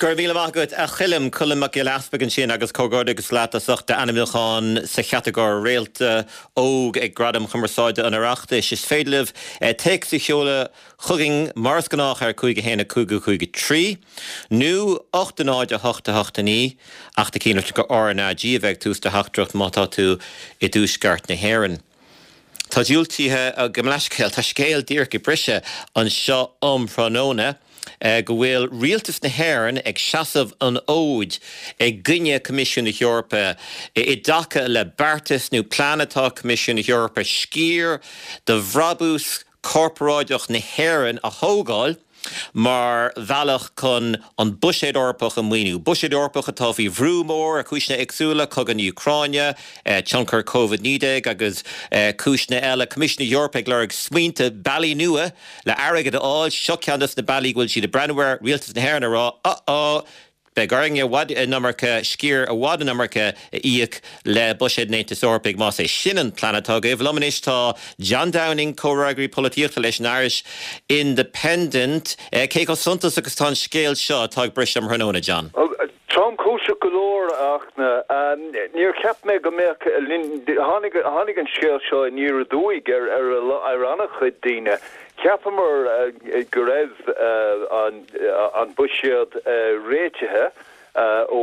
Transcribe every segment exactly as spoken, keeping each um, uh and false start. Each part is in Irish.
Go raibh míle maith agat a Choilm Colm Mac Giolla Easpaig ansin agus comhghairdeas leat as ucht d'ainmniúchán sa chatagóir Réalta Óg ag Gradaim Chumarsáide an Oireachtais. Is féidir libh téacs a sheoladh chugainn mar is gnách ar cúig a haon a cúig a cúig a trí nó ocht a náid a hocht a hocht a naoi ach déan cinnte gur RnaG a bheidh ag tús do theachtaireacht má tá tú i dtuaisceart na hÉireann. Tá diúltaithe go leiscéal tá scéal díreach ag briseadh anseo um thráthnóna go bhfuil rialtas na hÉireann ag seasamh an fhóid i gcoinne Coimisiún na hEorpa i dtaca le beartas nó plean atá Coimisiún na hEorpa sciar de bhrabús corparáideach na hÉireann a thógáil mar bhealach chun an buiséad Eorpach a mhaoiniú. Buiséad Eorpach atá faoi bhrú mór ar chúiseanna éagsúla, cogadh na hÚcráine, tionchar Covid naoi déag agus cúiseanna eile. Coimisiún na hEorpa ag lorg smaointe bealaí nua le airgead a fháil. Seo ceann de na bealaí go bhfuil siad ag breathnú air, rialtas na hÉireann ag rá, uh-oh, beidh orainn i bhfad an iomarca, sciar i bhfad an iomarca a íoc le buiséad an Aontais Eorpaigh más é sin an plean atá agaibh. Liom anois tá John Downing, comhfhreagraí polaitíochta leis an Irish Independent. Cé chomh suntasach agus atá an scéal seo atá ag briseadh um thráthnóna, John? Tromchúiseach go leor ach níor cheap mé go mbeadh tháinig tháinig an scéal seo aniar aduaidh ar ar ar an-chuid daoine. Cheapamar go raibh an an buiséad réitithe ó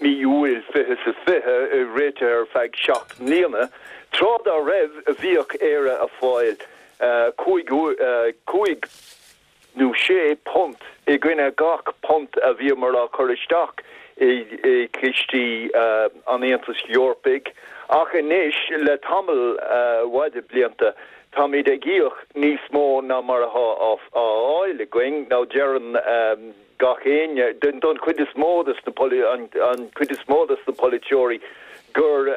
mí Iúil fiche is a fiche réitithe ar feadh seacht mbliana. Tráth dá raibh bhíodh Éire ag fáil cúig cúig nó sé punt i gcoinne gach punt a bhíomar á chur isteach i gcistí an Aontais Eorpaigh. Ach anois le tamall mhaith de blianta táimid ag íoc níos mó ná mar atá á fháil againn nó deireann gach éinne don chuid is mó de na an chuid is mó de na polaiteoirí gur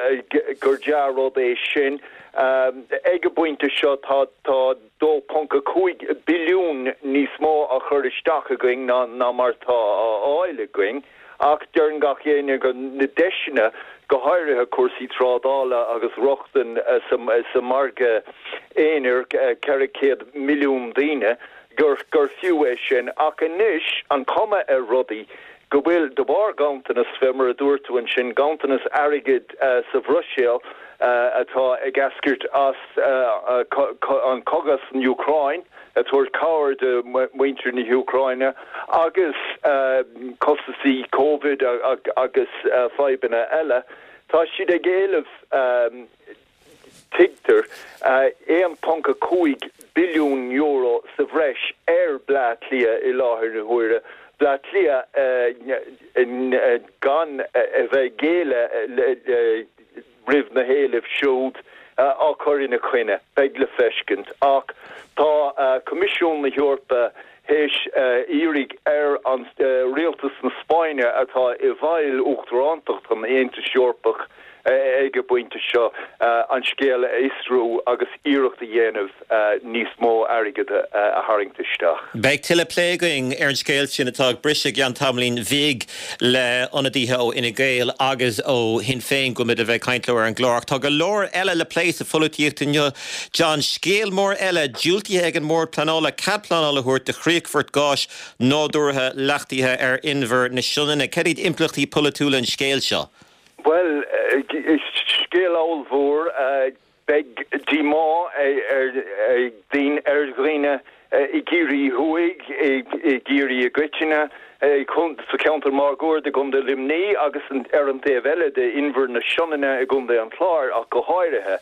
gur dea-rud é sin. Ag an bpointe seo tá tá dó ponc a cúig billiún níos mó á chur isteach againn ná ná mar tá á fháil againn, ach deireann gach éinne go na deiseanna go háirithe cúrsaí trádála agus rochtain sa margadh aonair ceithre chéad milliún daoine gur gur fiú é sin. Ach anois an cuma ar rudaí go bhfuil de bharr ganntanas fé mar a dúirt tú ansin ganntanas airgid sa Bhruiséil atá ag eascairt as an cogadh san Úcráin ag tabhairt cabhair do mhuintir na hÚcráine agus costasaí Covid agus fadhbanna eile, tá siad ag éileamh tuigtear aon ponc a cúig billiún euro sa bhreis ar Bleá Cliath i láthair na huaire. Bleá Cliath gan a bheith ag géilleadh roimh na héilimh siúd á chur ina coinne, beidh le feiscint. Ach tá Coimisiún na hEorpa théis iarraidh ar an rialtas na Spáinne atá i bhfeighil uachtarántacht an Aontais Eorpach ag an bpointe seo an scéal a fhiosrú agus iarracht a dhéanamh níos mó airgid a tharraingt isteach. Beidh tuilleadh plé againn ar an scéal sin atá ag briseadh i gceann tamaillín bhig le ionadaithe ó Fhine Gael agus ó Shinn Féin go mbeidh a bheith ag caint leo ar an gclár. Ach tá go leor eile le plé sa pholaitíocht inniu. John, scéal mór eile diúltaithe ag an mBord Pleanála cead pleanála a thabhairt do chríochfort gáis nádúrtha leachtaithe ar Inbhear na Sionainne. Cad iad impleachtaí polaitiúla an scéil seo? Bhuel, scéal ollmhór. Beidh díomá ar dhaoine i gCiarraí Thuaidh, i gCiarraí i gcoitinne, sa cheantar máguaird i gContae Luimnigh agus ar an taobh eile de Inbhear na Sionainne i gContae an Chláir ach go háirithe.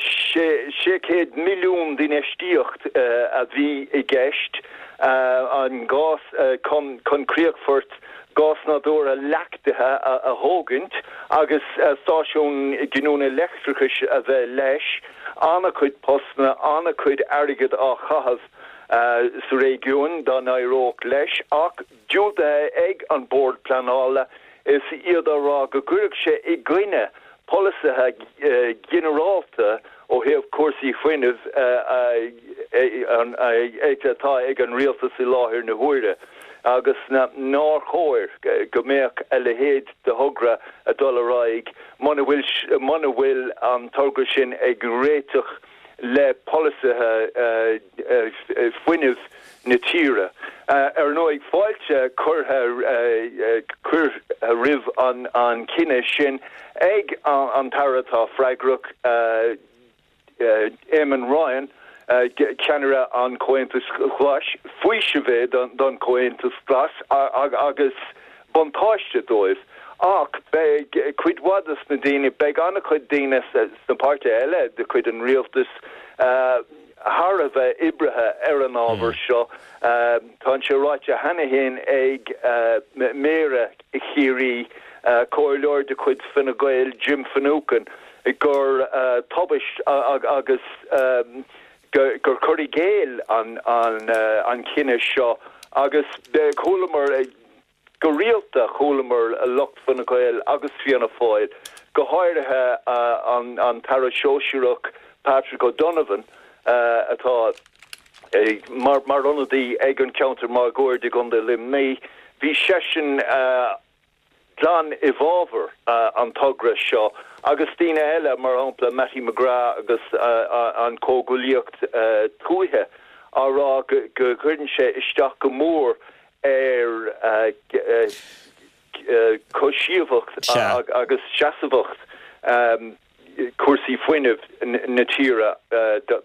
Sé chéad milliún d'infheistíocht a bhí i gceist, an gás chun críochfort gás nádúrtha leachtaithe a thógaint agus stáisiún giniúna leictreachais a bheith leis, an-chuid postanna, an-chuid airgid á chaitheamh sa réigiún dá n-éireodh leis, ach diúltaithe ag an Bord Pleanála is iad á rá go gcuirfeadh sé i gcoinne polasaithe ginearálta ó thaobh cúrsaí fuinnimh atá ag an rialtas i láthair na huaire agus nár chóir go mbeadh a leithéid de thogra ag dul ar aghaidh muna bhfuil muna bhfuil an togra sin ag réiteach le polasaithe fuinnimh na tíre. Ar ndóigh fáilte curtha curtha roimh an an cinneadh sin ag an tAire atá freagrach Eamon Ryan, ceannaire an Chomhaontais Ghlais, faoiseamh é don Chomhaontas Glas agus buntáiste dóibh. Ach beidh cuid mhaith des na daoine, beidh an-chuid daoine sna páirtithe eile de chuid an rialtais thar a bheith oibrithe ar an ábhar seo. Tá sé ráite cheana féin ag Méara Chiarraí, comhairleoir de chuid Fine Gael, Jim Finucane, gur tubaist agus gur cur i gcéill an an cinneadh seo agus chualamar go rialta chualamar lucht Fine Gael agus Fianna Fáil, go háirithe an an tAire Sóisearach Patrick O'Donovan atá mar mar ionadaí ag an ceantar máguaird i gContae Luimnigh, bhí seisean glan i bhfabhar an togra seo agus daoine eile mar shampla Mattie McGrath agus an Comhghuaillíocht Tuaithe á rá go gcuireann sé isteach go mór ar chomhsheasmhacht agus seasmhacht cúrsaí fuinnimh na tíre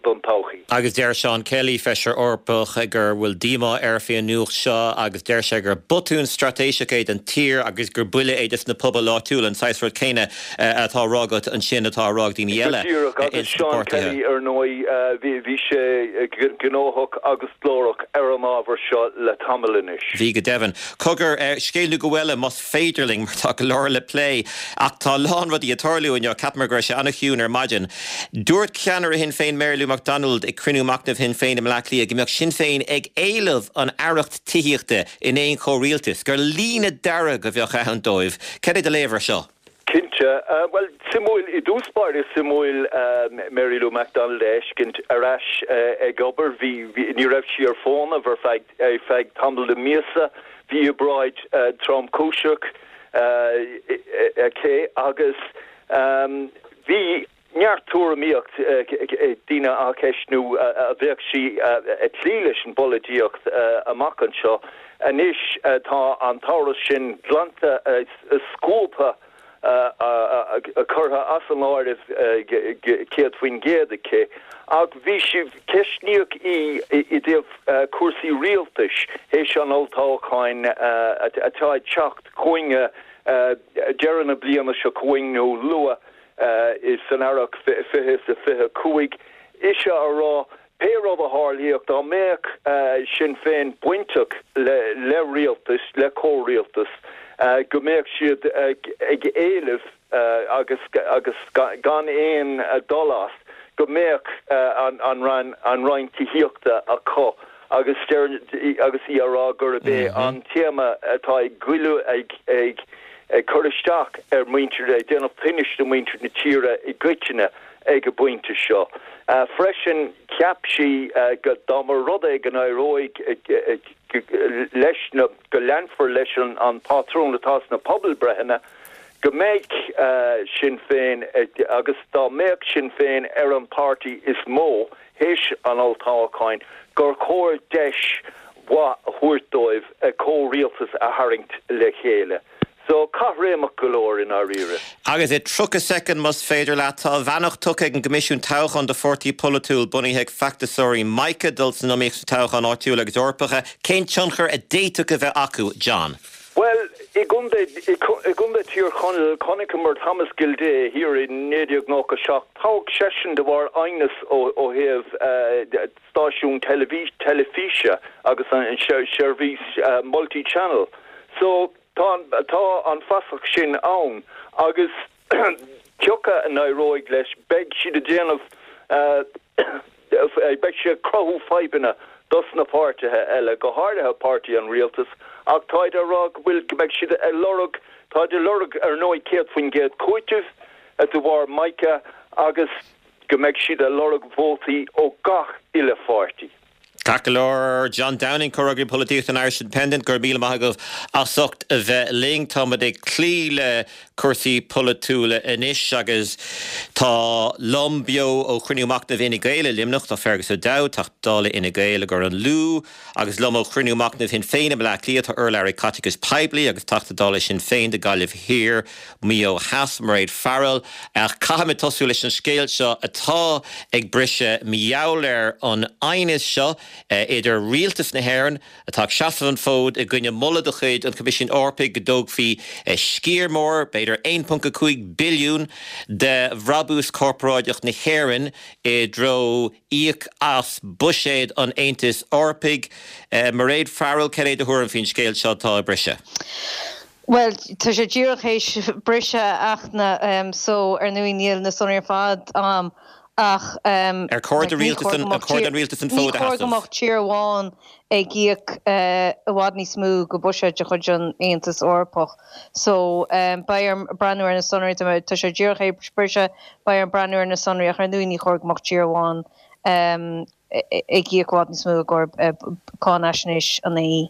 don todhchaí. Agus deir Seán Kelly feisire Eorpach gur bhfuil díomá air faoin nuacht seo agus deir sé gur botún straitéiseach é don tír agus gur buille é dos na pobail áitiúla an saghas rud céanna atá á rá agat ansin atá á rá ag daoine eile. Díreach agus Seán Kelly ar ndóigh bhí sé gnóthach agus glórach ar an ábhar seo le tamall anois. Bhí go deimhin. Cogar scéal nó go bhfuil más féidir linn mar tá go leor le plé ach tá a lán rudaí ag tarlú inniu ceapaim go raibh sé an-chiúin ar maidin. Dúirt ceannaire Shinn Féin Mary Lou McDonald ag cruinniú machnaimh Shinn Féin i mBleá Cliath go mbeadh Sinn Féin ag éileamh an aireacht tithíochta in aon chomhrialtas, gur líne dearg a bheadh ann dóibh. Cad é do léamh air seo? Cinnte. Bhuel, suimiúil, i dtús báire suimiúil Mary Lou McDonald a fheiscint ar ais ag obair. Bhí, ní raibh sí ar fónamh ar feadh, ar feadh tamall de mhíosa. Bhí obráid tromchúiseach aici agus bhí neart tuairimíocht daoine á ceistiú an mbeadh sí ag cloí leis an bpolaitíocht amach anseo. Anois tá an t-amhras sin glanta scuabtha curtha as an áireamh céad faoin gcéad aici. Ach bhí sí ceistíodh í i dtaobh cúrsaí rialtais théis an olltoghcháin atá ag teacht chugainn deireadh na bliana seo chugainn nó luath san earrach fiche is a fiche cúig. Ise á rá pé rud a tharlaíodh dá mbeadh Sinn Féin bainteach le le rialtas, le comhrialtas, go mbeadh siad ag éileamh agus agus gan aon dul as, go mbeadh an an an Roinn Tithíochta acu agus agus í á rá gurb é an téama atá ag goilleadh ag ag ag cur isteach ar mhuintir ag déanamh tinnis do mhuintir na tíre i gcoitinne ag an bpointe seo. Freisin cheap sí go dá mba rud é go n-éireoidh leis na go leanfar leis an an pátrún atá sna pobalbreitheanna go mbeidh Sinn Féin agus dá mbeadh Sinn Féin ar an páirtí is mó théis an olltoghcháin gur chóir deis mhaith a thabhairt dóibh comhrialtas a tharraingt le chéile. So caithréimeach go leor i ndáiríre. Agus i tríocha soicind más féidir leat tá a bheannacht tugtha ag an gCoimisiún Toghcháin do pháirtí polaitiúil bunaithe ag feachtasóirí Mica dul san iomaíocht sa toghchán áitiúil agus Eorpacha, cén tionchar a d'fhéadfadh a bheith acu, John? Bhuel, i gContae Thír Chonaill chonaiceamar Thomas Gildea thiar i naoi déag nócha seacht, toghadh seisean de bharr aighneas ó thaobh stáisiún teilifíse agus an seirbhís multi-channel. So tá tá an fasach sin ann agus cioca a n-éireoidh leis beidh siad ag déanamh beidh sé ag cruthú fadhbanna dos na páirtithe eile, go háirithe páirtí an rialtais, ach táid á rá go bhfuil go mbeidh siad ag lorg táid ag lorg ar ndóigh céad faoin gcéad cúitimh de bharr Mica agus go mbeidh siad ag lorg vótaí ó gach uile pháirtí. Ceart go leor John Downing comhfhreagraí polaitíochta an Irish Independent go raibh míle maith agaibh as ucht a bheith linn táimid ag cloí le cúrsaí polaitiúla anois agus tá liom beo ó chruinniú machnaimh Fhine Gael i Luimneach tá Fergus O'Dowd Teachta Dála Fhine Gael i gCor an Lú agus liom ó chruinniú machnaimh Shinn Féin i mBleá Cliath tá urlabhraí caiteachais poiblí agus Teachta Dála Sinn Féin do Gaillimh Thiar Maigh Eo Theas Mairéad Farrell ach caithfimid tosú leis an scéal seo atá ag briseadh mar gheall ar an aighneas seo idir rialtas na hÉireann atá ag seasamh an fód i gcoinne moladh de chuid an Choimisiúin Eorpaigh go dtógfaí sciar mór b'fhéidir aon ponc a cúig billiún de bhrabús corparáideach na hÉireann i dtreo íoc as buiséad an Aontais Eorpaigh. Mairéad Farrell cad é do thuairim faoin scéal seo atá ag briseadh. Well tá sé díreach théis briseadh ach na so ar ndóigh níl na sonraí ar fad um, ach um, Ar chóir do rialtas an chóir don rialtas an fód a ní chóir go sheasamh. mbeadh tír amháin ag íoc uh, i bhfad níos mó go buiséad de chuid an Aontas Eorpach. So um, beidh orm breathnú ar na sonraí tá sé díreach théis briseadh beidh orm breathnú ar na sonraí ach ar ndóigh ní chóir go mbeadh tír amháin um, ag íoc i bhfad níos mó gur uh, cáinaisnéis an AE.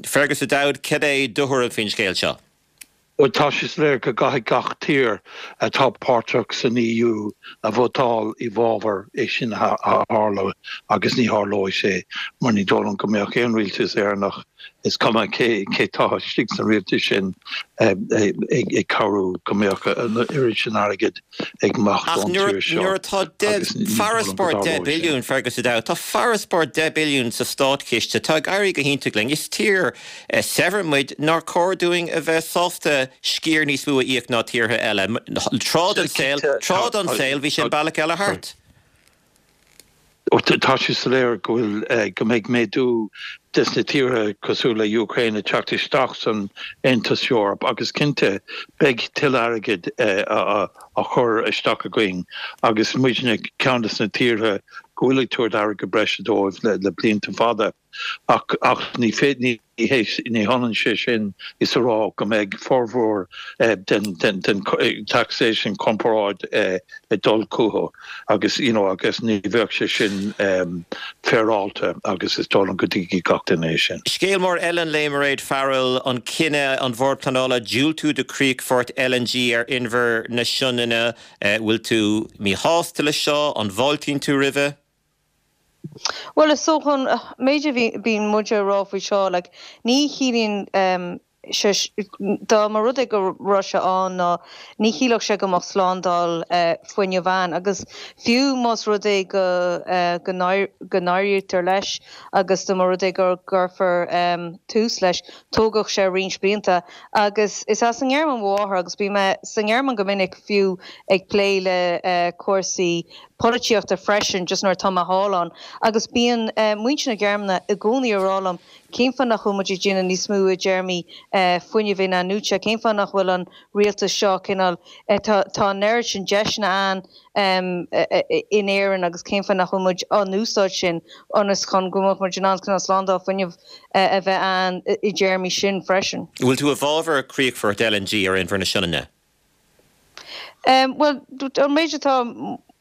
Fergus O'Dowd cad é do thuairim faoin scéal seo. Well tá sé soiléir go gcaithfidh gach tír atá páirteach san EU a vótáil i bhfabhar é sin a tharlú agus ní tharlóidh sé mar ní dóigh liom go mbeadh aon rialtas Éireannach is cuma cé cé tá istigh san rialtas sin ag cabhrú go mbeadh an oiread sin airgid ag imeacht Ach ón tír seo. nuair atá farasbarr deich billiún Fergus O'Dowd, Tá farasbarr deich billiún sa státchiste tá ag éirí go hiontach linn. Is tír saibhir muid nár chóir dúinn a bheith sásta sciar níos mó a íoc ná tíortha eile. Tráth den saol tráth den saol bhí sin bealach eile thart. Tá sé soiléir go bhfuil go mbeidh méadú des na tíortha cosúil le Ukraine teacht isteach san Aontas Eorpach agus cinnte beidh tuilleadh airgid a chur isteach againn agus muidne ceann des na tíortha go bhfuil ag tabhairt airgead breise dóibh le, le blianta fada ach ach ní féidir ní ní hionann sé sin is a rá go mbeidh formhór eh, den, den, den taxation corporáid eh, ag dul chucu agus you know, agus ní bheadh sé sin um, féaráilte agus is dóigh liom go dtuigfidh gach duine é sin. Scéal mór eile le Mairéad Farrell an cinneadh an Bhord Pleanála diúltú do chríochfort LNG ar Inbhear na Sionainne bhfuil tú míshásta le seo an bhfáiltíonn tú roimhe? Well is so chun méid bíonn muid ag rá faoi seo like, ní chiallaíonn um, dá mba rud é go raibh sé ann ná ní chiallódh sé go mbeadh slándáil uh, fuinnimh ann agus fiú más rud é go uh, go n-éirítear leis agus dá mba rud é go gcuirfear um, tús leis tógfaidh sé roinnt blianta agus is as an nGearmáin mo mháthair agus bhí mé sa nGearmáin go minic fiú ag plé le uh, cúrsaí polaitíochta freisin just nuair atá mé thall ann agus bíonn uh, muintir na Gearmáine i gcónaí ag rá liom cén fáth nach bhfuil muid ag déanamh níos mó i dtéarmaí uh, fuinneamh in-athnuaite cén fáth nach bhfuil an rialtas seo cineál uh, tá an oiread sin deiseanna ann um, in Éirinn agus cén fáth nach bhfuil muid á n-úsáid sin ionas chun go mbeadh muid in ann chun slándáil fuinnimh uh, a bheith ann i dtéarmaí sin freisin. Bhfuil tú i bhfabhar críochfort LNG ar Inbhear na Sionainne? Um, well an méid atá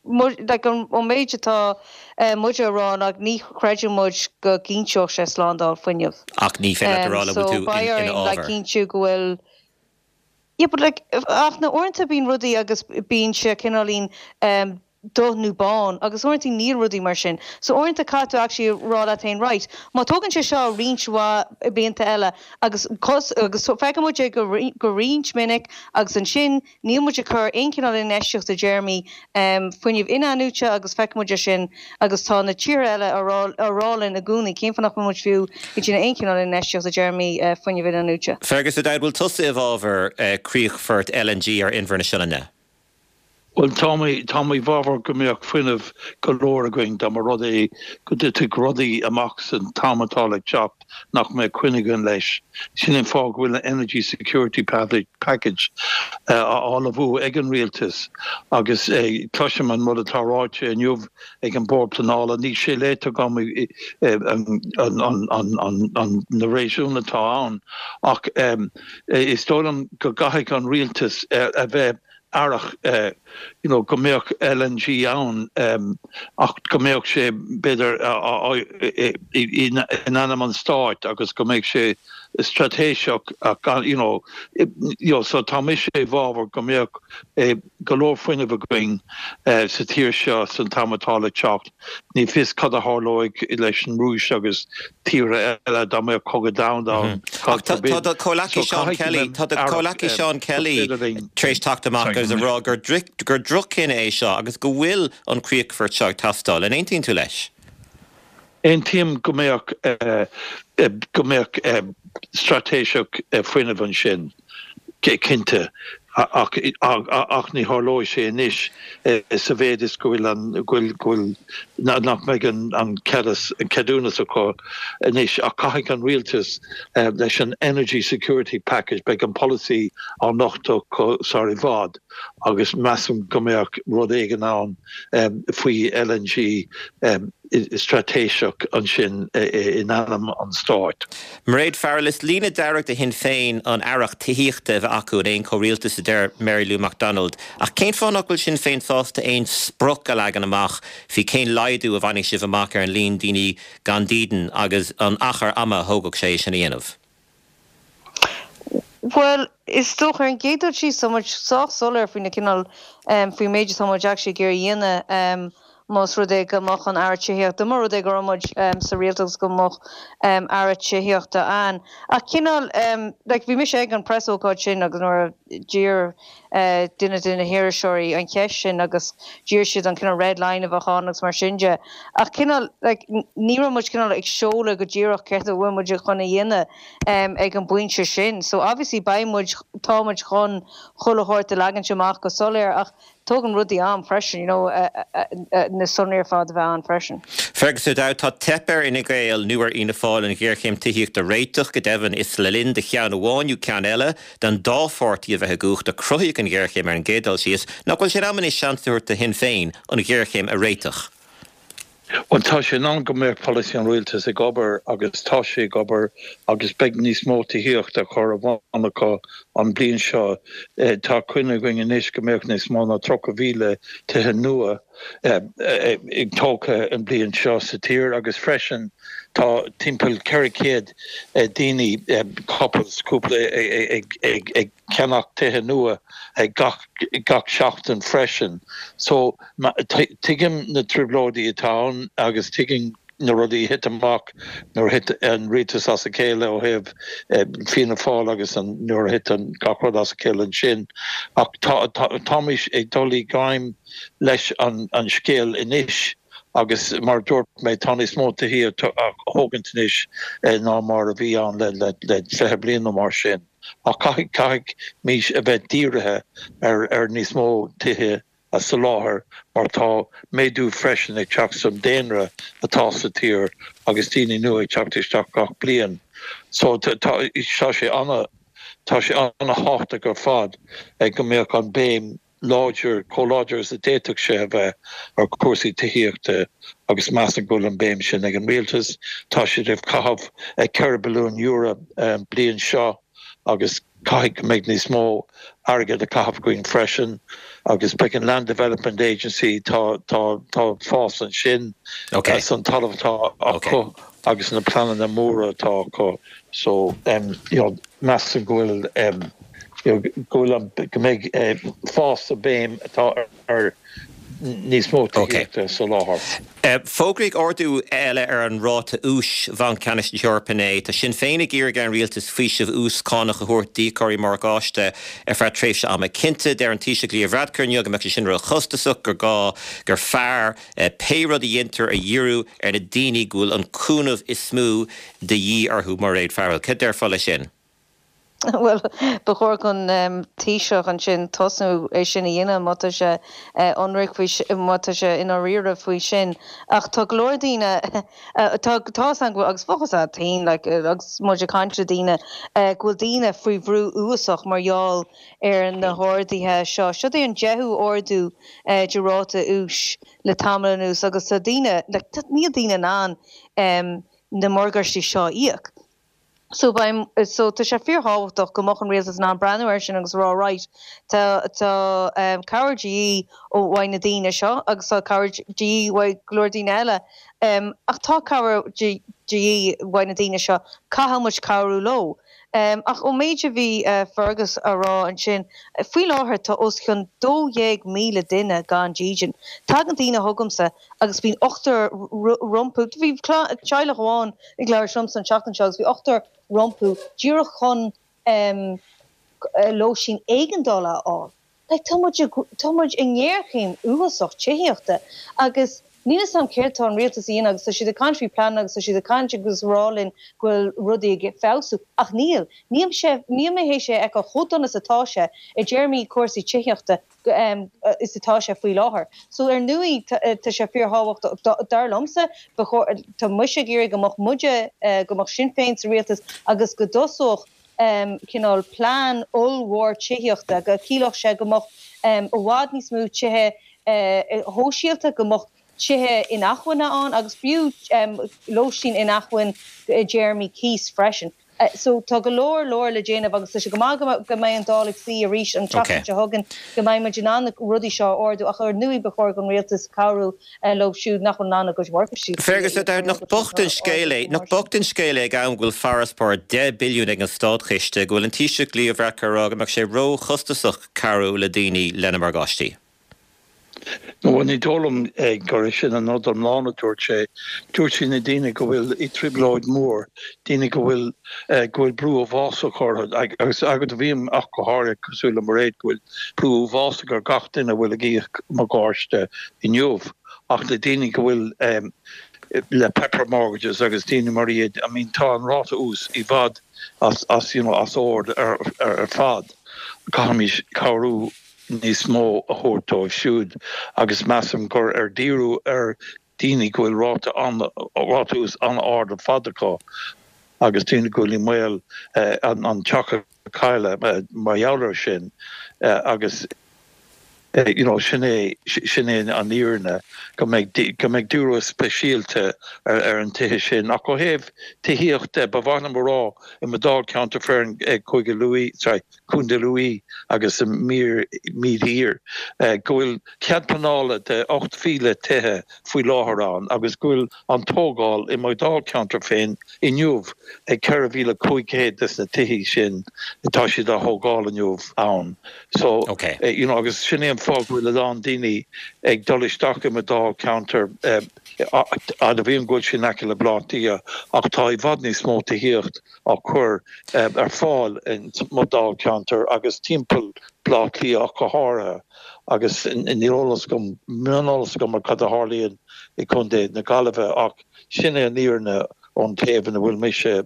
like an méid atá uh, muid ag rá ná ní chreideann muid go gcinnteodh sé slándáil fuinnimh. Ach ní féidir rá tú ina cinntiú go bhfuil Yeah, but like ach na uaireanta bíonn rudaí agus bíonn sé cineáilín um, dubh nó bán agus uaireanta níl rudaí mar sin. So uaireanta caithfidh tú actually rá leat féin right. Má tógann sé seo roinnt mhaith blianta eile agus cos agus so feiceann muid é go go roinnt minic agus ansin níl muid ag cur aon cineál infheistíocht i dtéarmaí um, fuinneamh in-athnuaite agus feiceann muid é sin agus tá na tíortha eile ag rá linn i gcónaí cén fáth nach muid fiú ag déanamh aon cineál infheistíocht i dtéarmaí uh, fuinneamh in-athnuaite. Fergus O'Dowd bhfuil tusa i bhfabhar uh, críochfort LNG ar Inbhear na Sionainne. Well tá tá i bhfabhar go mbeadh fuinneamh go leor againn dá mba rud é go dtitfeadh rudaí amach san am atá le teacht nach mbeadh coinne againn leis. Sin an fáth go bhfuil an Energy Security Package uh, á ullmhú ag an rialtas agus uh, cloisim an rud atá ráite inniu ag an Bord Pleanála níl sé léite agam na réasúin atá ann ach um, is dóigh liom go gcaithfidh an rialtas uh, a bheith aireach you know go mbeadh LNG ann ach go mbeadh sé b'fhéidir in ainm an stáit agus go mbeadh sé straitéiseach ach you know you know so tá mise i bhfabhar go mbeadh go leor fuinnimh againn sa tír seo san t-am atá le teacht. Ní fios cad a tharlóidh leis an Rúis agus tíortha eile dá mbeadh cogadh domhanda ann. Ach tá do chomhleacaí Seán Kelly, tá do chomhleacaí Seán Kelly tar éis teacht amach agus a rá gur gur droch-chinneadh é seo agus go bhfuil an críochfort seo ag teastáil. An aontaíonn tú leis? Aontaím go mbeadh go mbeadh straitéiseach fuinnimh ansin, cinnte, ach ach ní tharlóidh sé anois sa mhéid is go bhfuil an go bhfuil go bhfuil nach mbeidh an an ceadúnas acu anois ach caithfidh an rialtas leis an Energy Security Package beidh an polasaí á nochtadh acu sar i bhfad agus measaim go mbeadh rud éigin ann faoi LNG straitéiseach ansin in ainm an stáit. Mairéad Farrell, is líne dearg do Shinn Féin an aireacht tithíochta a bheith acu in aon chomhrialtas a deir Mary Lou McDonald. Ach cén fáth nach bhfuil Sinn Féin sásta aon sprioc a leagan amach faoi cén laghdú a bhainfidh sibh amach ar an líon daoine gan dídean agus an achar ama a thógfadh sé sin a dhéanamh? Bhuel, is dócha ar an gcéad dul síos tá muid sách soiléir faoi na cineál faoin méid atá muid actually ag iarraidh a dhéanamh más rud é go mbeadh an Aire Tithíochta, dá mba rud é go raibh muid sa rialtas go mbeadh Aire Tithíochta ann. Ach cineál like bhí mise ag an preasócáid sin agus nuair a d'iarr duine de na hiriseoirí an cheist sin agus d'iarr siad an cineál red line a bheadh ann agus mar sin de. Ach cineál like ní raibh muid cineál ag seoladh go díreach céard a bhfuil muid chun a dhéanamh ag an bpointe sin. So obviously beidh muid tá muid chun chuile shórt a leagaint amach go soiléir ach tógann rudaí am freisin, you know, na sonraí ar fad a bheith ann freisin. Fergus O'Dowd, tá teip ar Fhine Gael nó ar Fhianna Fáil an ghéarchéim tithíochta a réiteach go deimhin is le linn do cheann amháin nó ceann eile den dá pháirtí a bheith i gcumhacht a cruthaíodh an ghéarchéim ar an gcéad dul síos, nach bhfuil sé in am anois seans a thabhairt do Shinn Féin an ghéarchéim a réiteach? Bhuel tá sé in am go mbeadh polasaí an rialtais ag obair agus tá sé ag obair agus beidh níos mó tithíochta á chur ar bun acu an bliain seo. Tá coinne againn anois go mbeadh níos mó ná tríocha mhíle tithe nua ag tógtha an bliain seo sa tír agus freisin tá timpeall ceithre chéad daoine couples cúpla ag ag ag ceannach tithe nua gach gach seachtain freisin. So tuigim na trioblóidí atá ann agus tuigim na rudaí a thit amach nuair a thit an rialtas as a chéile ó thaobh Fianna Fáil agus an nuair a thit an gach rud as a chéile ansin ach táimid ag dul i ngleic leis an an scéal anois agus mar dúirt mé tá níos mó tithe á thógaint anois ná mar a bhí ann le le le fiche bliain nó mar sin. Ach caithfidh caithfimid a bheith dírithe ar ar níos mó tithe a soláthar mar tá méadú freisin ag teacht san daonra atá sa tír agus daoine nua ag teacht isteach gach bliain. So tá tá sé ana tá sé an-tábhachtach ar fad ag go mbeadh an béim láidir chomh láidir is a d'fhéadfadh sé a bheith ar chúrsaí tithíochta agus measaim go bhfuil an béim sin ag an rialtas. Tá siad ag caitheamh ceithre billiún euro an bliain seo agus caithfidh go mbeidh níos mó airgead a caitheamh againn freisin agus beidh an Land Development Agency tá tá tá fás ansin Okay. san talamh atá acu agus na pleananna móra atá acu so um, you know, measaim go bhfuil um, you know, go bhfuil an go mbeidh uh, fás sa béim atá ar, ar níos mó tithíochta a soláthar. Uh, Fógraíodh ardú eile ar an ráta úis Bhanc Ceannais na hEorpa inné, Tá Sinn Féin ag iarraidh ar an rialtas faoiseamh ús cánach a thabhairt d'íocóirí morgáiste ar feadh tréimhse ama cinnte deir an Taoiseach Leo Varadkar inniu go mbeadh sé sin róchostasach gur gá gur fearr uh, pé rud a dhéantar a dhíriú ar na daoine go bhfuil an cúnamh is mó de dhíth orthu Mairéad Farrell. Cad déarfá leis sin? Well ba chóir don um, Taoiseach ansin tosnú é sin a dhéanamh má tá sé ionraic faoi má tá sé i ndáiríre faoi sin. Ach tá go leor daoine tá tá an agus focas a tain like, agus muid ag caint le daoine go bhfuil daoine faoi bhrú uafásach mar gheall ar na harduithe seo. Seo é an deichiú ardú de ráta úis le tamall anuas agus tá daoine like, níl daoine in ann um, na morgáistí seo a íoc. So beim so tá sé fíorthábhachtach go mbeadh an rialtas in ann breathnú air sin agus rá right tá tá um, cabhair de dhíth ó uaidh na daoine seo agus tá cabhair de dhíth uaidh go leor daoine eile um, ach tá cabhair de dhíth uaidh na daoine seo caithfidh muid cabhrú leo. Um, ach ó méid a bhí uh, Fergus a rá ansin faoi láthair tá os cionn dó dhéag míle duine gan dídean. Tagann daoine chugamsa agus bíonn ochtar rompu bhí teaghlach amháin ag labhairt liomsa an tseachtain seo agus bhí ochtar rompu díreach chun um, lóistín éigeandála a fháil. Like, tá muid tá muid i ngéarchéim uafásach tithíochta agus níl a fhios agam céard tá an rialtas a dhéanamh agus tá siad ag caint faoi plean agus tá siad ag caint agus rá linn go bhfuil rudaí ag feabhsú ach níl. Níl sé níl mé théis é a fheiceáil chomh dona is atá sé i dtéarmaí cúrsaí tithíochta um, is atá sé faoi láthair. So ar ndóigh tá sé fíorthábhachtach dar liomsa tá mise ag iarraidh go mbeadh muide uh, go mbeadh Sinn Féin sa rialtas agus go dtosódh um, cineál plean ollmhór tithíochta go gciallódh sé go mbeadh um, i bhfad níos mó tithe uh, shóisialta go mbeadh tithe inacmhainne ann agus fiú um, lóistín inacmhainne i dtéarmaí cíos freisin. Uh, so tá go leor leor le déanamh agus tá sé go maith go mbeidh an Dáil ag suí arís an tseachtain seo chugainn go mbeidh muid in ann na rudaí seo a ardú ach ar ndóigh ba chóir don rialtas cabhrú uh, leo siúd nach bhfuil in ann a gcuid morgáistí. Fergus nach bocht an scéal é nach bocht an scéal é ag am go bhfuil farasbarr deich billiún ag an státchiste go bhfuil an Taoiseach Leo Varadkar ag rá go mbeadh sé róchostasach cabhrú le daoine lena morgáistí. No ní dóigh liom gur sin an rud iomlán a dúirt sé dúirt sé na daoine go bhfuil i trioblóid mór, daoine go bhfuil go bhfuil brú uafásach orthu agus agad bhím ach go háirithe cosúil le Mairéad go bhfuil brú uafásach ar gach duine bhfuil ag íoc morgáiste inniu ach na daoine go bhfuil um, le pepper mortgages agus daoine mar iad I mean tá an ráta ús i bhfad as as you know, as ord ar, ar, ar fad caithfimid cabhrú níos mó a thabhairt dóibh siúd agus measaim gur ar díriú ar daoine go bhfuil ráta ráta ús an-ard ar fad acu agus daoine go bhfuil i mbaol eh, an, an teach a chailleadh eh, mar gheall air sin eh, agus you know, sin é sin é an fhírinne go mbeidh go mbeidh díriú speisialta ar, ar an tithe sin ach ó thaobh tithíochta ba mhaith liom rá i mo dháilcheantar féin ag Cúige Lú sorry, Contae Lú agus mír mídhír go bhfuil cead pleanála de ocht míle tithe faoi láthair ann agus go bhfuil an tógáil i mo dháilcheantar féin inniu ag ceithre mhíle cúig chéad des na tithe sin atá siad á thógáil inniu ann. So okay. uh, you know, agus sin é an fáth go bhfuil a lán daoine ag dul isteach i mo dháilcheantar admhaím go bhfuil sin aice le Baile Átha Cliath ach tá i bhfad níos mó tithíocht á cur ar fáil in mo dháilcheantar agus timpeall Baile Átha Cliath go háirithe agus níl eolas agam mioneolas agam ar cad a tharlaíonn i Contae na Gaillimhe ach sin é an fhírinne ón taobh ina bhfuil mise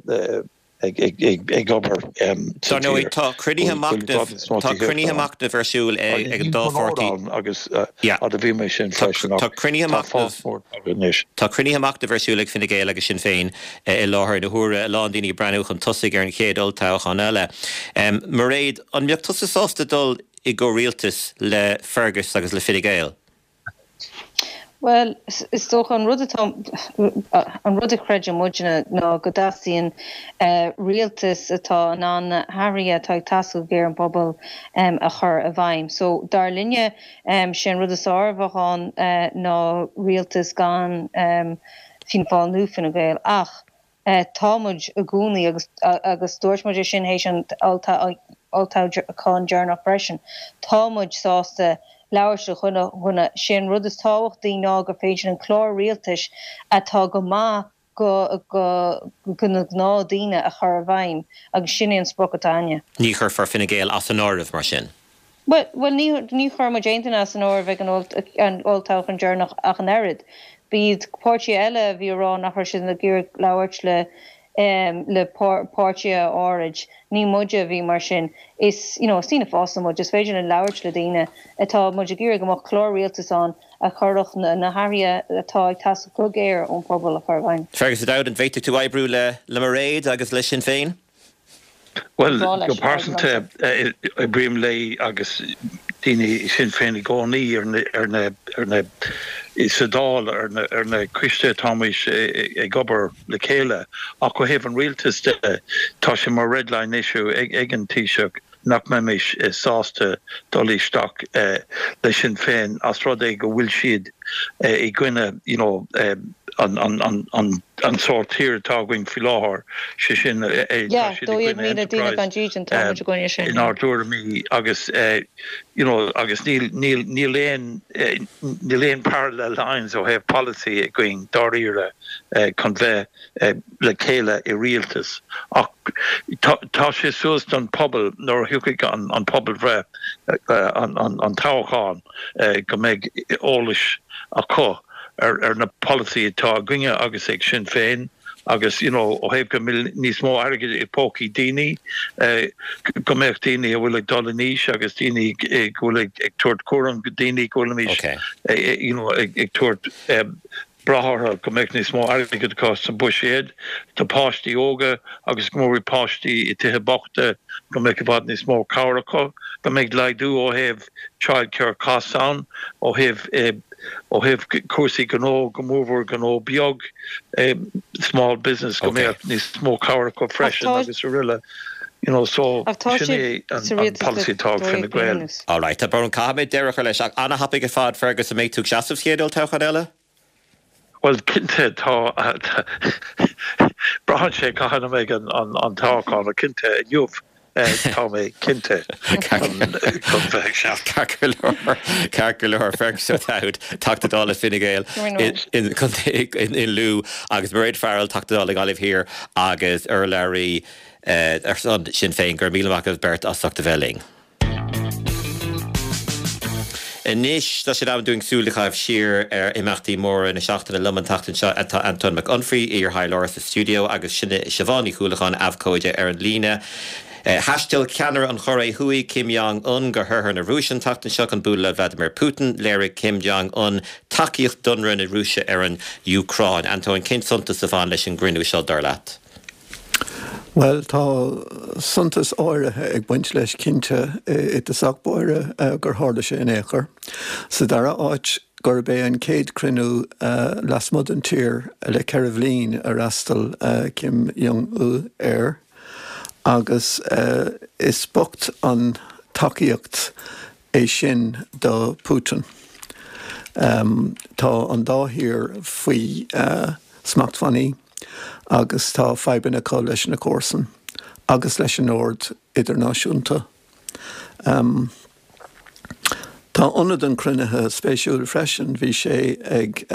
ag ag obair. Tá cruinnithe tá cruinnithe machnaimh ar siúl ag an dá pháirtí agus admhaím é sin Tá cruinnithe Tá cruinnithe machnaimh ar siúl ag Fine Gael agus Sinn Féin i láthair na huaire a lán daoine breathnú chun tosaigh ar an chéad olltoghchán eile. Mairéad an mbeadh tusa sásta dul i gcomhrialtas le Fergus agus le Fine Gael? Well, is dócha an rud atá an rud a chreideann muidne ná go dteastaíonn uh, rialtas atá in ann na hathruithe atá ag teastáil go géar ón bpobal um, a chur i bhfeidhm. So dar linne um, sin rud is fearr a bheadh ann uh, ná rialtas gan um, Fianna Fáil nó Fine Gael ach uh, tá muid i gcónaí agus agus dúirt muid sin théis an olltoghchán deireanach freisin. Tá muid sásta labhairt le chuile dhuine sin rud is tábhachtaí ná gur féidir an clár rialtais atá go maith go go go na gnáthdhaoine a chur i bhfeidhm agus sin é an sprioc atá againne. Ní chuirfear Fine Gael as an áireamh mar sin. Well, well ní ní chuir muid aon duine as an áireamh ag an olltoghchán deireanach ach an oiread. B'iad páirtithe eile a bhí ag rá nach raibh siad ag iarraidh labhairt le um, le páirtithe áirid. Ní muide a bhí mar sin. Is you know, is daoine fásta muid, is féidir linn labhairt le daoine atá muid ag iarraidh go mbeadh clár rialtais ann a chuirfeadh na, na hathruithe atá ag teastáil go géar ón pobal a chur i bhfeidhm. Fergus O'Dowd an bhféadfadh tú oibriú le le Mairéad agus le Sinn Féin? Well go pearsanta oibrím léi agus daoine Sinn Féin i gcónaí ar na ar na ar na sa Dáil ar na ar na coistí atáimid ag obair le chéile ach ó thaobh an rialtas de tá sé mar red line issue ag ag an Taoiseach nach mbeimis sásta dul isteach le Sinn Féin as rud é go bhfuil siad i gcoinne you know an an an an an sórt tír atá againn faoi láthair sé sin inár dtuairimí agus you know agus níl níl níl aon níl aon parallel lines ó thaobh policy againn dáiríre chun bheith le chéile i rialtas ach tá sé suas don pobal nuair a thiocfaidh an an pobalbhreith an an an toghchán go mbeidh eolas acu ar ar na polasaí atá againne agus ag Sinn Féin agus you know ó thaobh go mbeidh níos mó airgid i bpócaí daoine go mbeadh daoine a bhfuil ag dul in aois agus daoine go bhfuil ag ag tabhairt cúram go daoine go bhfuilimid you know ag ag tabhairt brath orthu go mbeadh níos mó airgid acu sa buiséad do páistí óga agus go mór páistí i tithe bochta go mbeadh i bhfad níos mó cabhair acu go mbeidh laghdú ó thaobh childcare costs ann ó thaobh ó thaobh cúrsaí gnó go mórmhór gnó beag small business go mbeadh níos mó cabhair acu freisin agus araile. You know, so sin é an policy atá ag Fine Gael. All right, tá brón caithfidh mé deireadh a chur leis ach an-thapaidh ar fad Fergus an mbeidh tú ag seasamh sa chéad olltoghchán eile? Bhuel cinnte tá braitheann sé cathain a mbeidh an toghchán ach cinnte inniu tá mé cinnte chun bheith ag seasamh. Ceart go leor, ceart go leor Fergus O'Dowd, Teachta Dála Fine Gael in contae in Lú agus Mairéad Farrell, Teachta Dála Gaillimh Thiar agus urlabhraí ar son Sinn Féin. Go raibh míle maith agaibh beirt as ucht a bheith linn. Anois tá sé in am dúinn súil a chaitheamh siar ar imeachtaí móra na seachtaine. Liom an tseachtain seo tá Antóin Mac Unfraidh, iar-thaidhleoir sa stiúideo agus Siobhán Ní Chuallacháin, abhcóide ar an líne. Thaistil ceannaire an Chóiré Thuaidh, Kim Jong-un, go hoirthear na Rúise an tseachtain seo chun bualadh le Vladimir Putin. Léirigh Kim Jong-un tacaíocht d'ionradh na Rúise ar an Úcráin. Antóin, cén suntas a bhain leis an gcruinniú seo, dar leat? Bhuel, tá suntas áirithe ag baint leis cinnte i dtosach báire gur tharla sé in aon chor. Sa dara háit, gurb é an chéad cruinniú lasmuigh den tír le ceithre bhliain a fhreastail Kim Jong-un air agus is bocht an tacaíocht é sin do Putin. Tá an dá thír faoi smachtbhannaí agus tá fadhbanna acu leis na comharsain agus leis an ord idirnáisiúnta. Tá ionad an chruinnithe spéisiúil freisin, bhí sé ag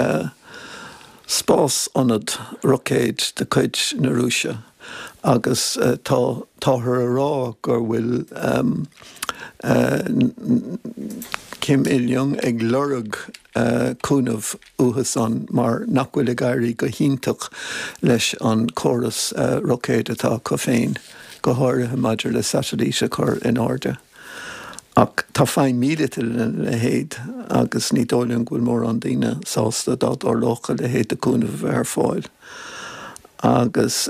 spás-ionad roicéid de chuid na Rúise agus tá táthar a rá go bhfuil Kim Il-jung ag lorg cúnamh uathusan mar nach bhfuil ag éirí go hiontach leis an córas roicéad atá acu féin, go háirithe maidir le satailít a chur in airde. Ach tá feidhm míleata lena leithéid agus ní dóigh liom go bhfuil mórán daoine sásta dá dtarlódh a leithéid de chúnamh a bheith ar fáil. Agus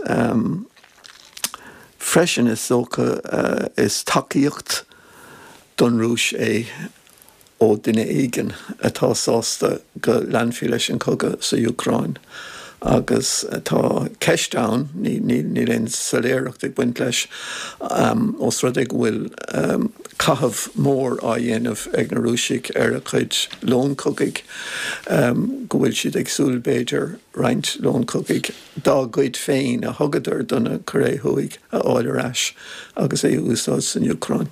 freisin is dócha is tacaíocht don Rúis é ó duine éigin atá sásta go leanfaí leis an chogadh sa Úcráin. Agus tá ceist ann, níl aon soiléireacht ag baint leis, ós rud é go bhfuil caitheamh mór á dhéanamh ag na Rúisigh ar a gcuid long cogaidh, go bhfuil siad ag súil, b'fhéidir, roinnt long cogaidh dá gcuid féin a thugadar do na Cóiré Thuaidh a fháil ar ais agus é a úsáid san Úcráin.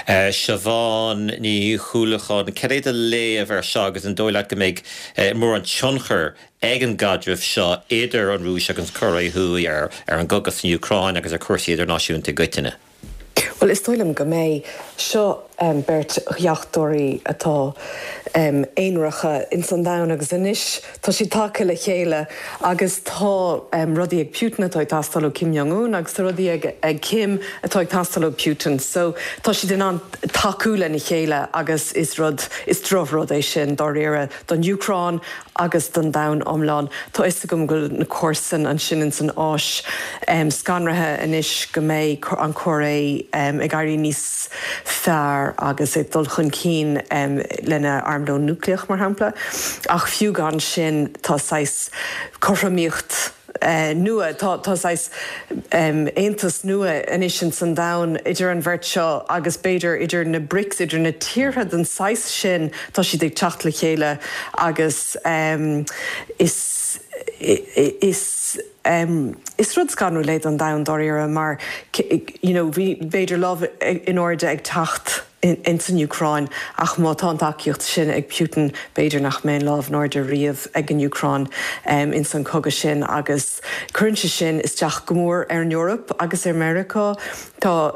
Siobhán Ní Chuallacháin, cad é do léamh ar seo agus an dóigh leat go mbeidh mórán tionchar ag an gcaidreamh seo idir an Rúis agus an Chóiré Thuaidh ar ar an gcogadh san Úcráin agus ar chúrsaí idirnáisiúnta i gcoitinne? Bhuel, is dóigh liom go mbeidh. Seo beirt dheachtóirí atá aonaracha ins an domhan agus anois tá siad tagtha le chéile agus tá rudaí ag Putin atá ag teastáil ó Kim Jong Un agus tá rudaí ag ag Kim atá ag teastáil ó Putin. So tá siad in ann tacú lena chéile agus is rud is drochrud é sin dáiríre don Úcráin agus don domhan iomlán. Tá fhios agam go bhfuil na comharsain ansin ins an Áis scanraithe anois go mbeidh an Chóiré ag éirí níos fearr. lear agus ag dul chun cinn lena armlón núicléach, mar shampla. Ach fiú gan sin, tá saghas cothromaíocht nua, tá tá saghas aontas nua anois ins an domhan idir an bheirt seo agus b'fhéidir idir na BRICS, idir na tíortha den saghas sin, tá siad ag teacht le chéile agus is is is rud scanrúil é don domhan dáiríre mar you know bhí b'fhéidir lámh in airde ag teacht ins an Úcráin ach má tá an tacaíocht sin ag Putin b'fhéidir nach mbeidh an lámh in airde riamh ag an Úcráin ins an cogadh sin agus cuireann sé sin isteach go mór ar an Eoraip agus ar Meiriceá. Tá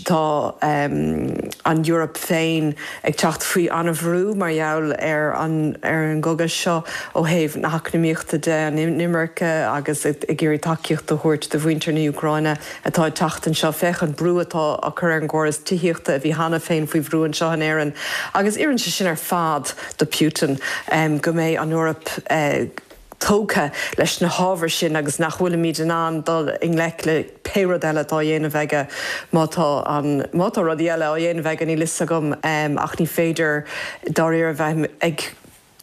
tá an Eoraip féin ag teacht faoi an-bhrú mar gheall ar an ar an gcogadh seo ó thaobh na heacnamaíochta de, an imirce agus ag iarraidh tacaíocht a thabhairt do mhuintir na hÚcráine atá ag teacht anseo. Féach an brú atá á cur ar an gcóras tithíochta a bhí cheana féin faoi bhrú anseo in Éirinn. Agus oireann sé sin ar fad do Putin go mbeidh an Eoraip tógtha leis na hábhair sin agus nach bhfuilimid in ann dul i ngleic le pé rud eile atá á dhéanamh aige má tá an má tá rudaí eile á dhéanamh aige níl fhios agam ach ní féidir dáiríre bheith ag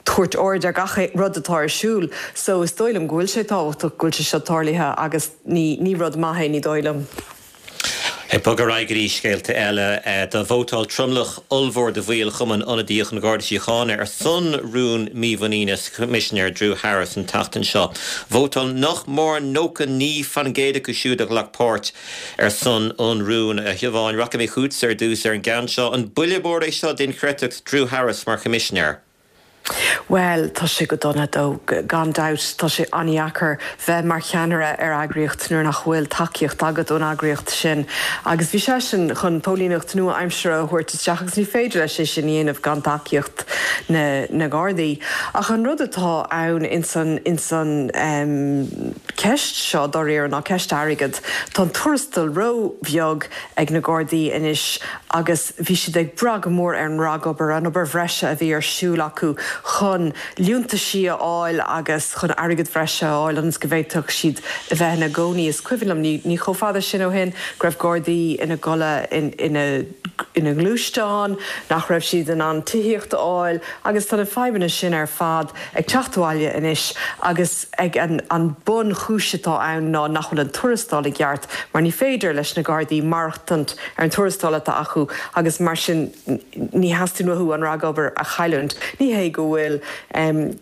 tabhairt aird ar gach rud atá ar siúl so is dóigh liom go bhfuil sé tábhachtach go bhfuil sé seo tarlaithe agus ní ní rud maith é ní dóigh liom. Ag bogadh ar aghaidh go dtí scéalta eile, do vótáil tromlach ollmhór de bhaill Chumann Ionadaíoch an Gharda Síochána ar son rún mímhuiníne sa Choimisinéir Drew Harris an tseachtain seo. Vótáil nach mór nócha naoi faoin gcéad acu siúd a ghlac páirt ar son an rúin. A Shiobháin, rachaidh mé chughatsa ar dtús ar an gceann seo. An buille mór é seo d'inchreidteacht Drew Harris mar Choimisinéir? Bhuel, tá sé go dona dó, gan dabht. Tá sé an-dheacair bheith mar cheannaire ar eagraíocht nuair nach bhfuil tacaíocht agat ón eagraíocht sin. Agus bhí seisean chun póilíneacht nua-aimseartha a thabhairt isteach agus ní féidir leis é sin a dhéanamh gan tacaíocht na na nGardaí. Ach an rud atá ann ins an ins an ceist seo dáiríre ná ceist airgid. Tá an tuarastal ró-bheag ag na Gardaí anois agus bhí siad ag brath go mór ar an ragobair, an obair bhreise a bhí ar siúl acu chun liúntaisí a fháil agus chun airgead bhreise a fháil ionas go bhféadfadh siad a bheith ina gcónaí. Is cuimhin liom, ní ní chomh fada sin ó shin, go raibh Gardaí ina gcodladh in ina ina ngluaisteáin, nach raibh siad in ann tithíocht a fháil agus tá na fadhbanna sin ar fad ag teacht abhaile anois agus ag an an bunchúis atá ann ná nach bhfuil an tuarastal i gceart mar ní féidir leis na Gardaí maireachtaint ar an tuarastal atá acu agus mar sin ní theastaíonn uathu an ragobair a chailliúint. Ní hé go bhfuil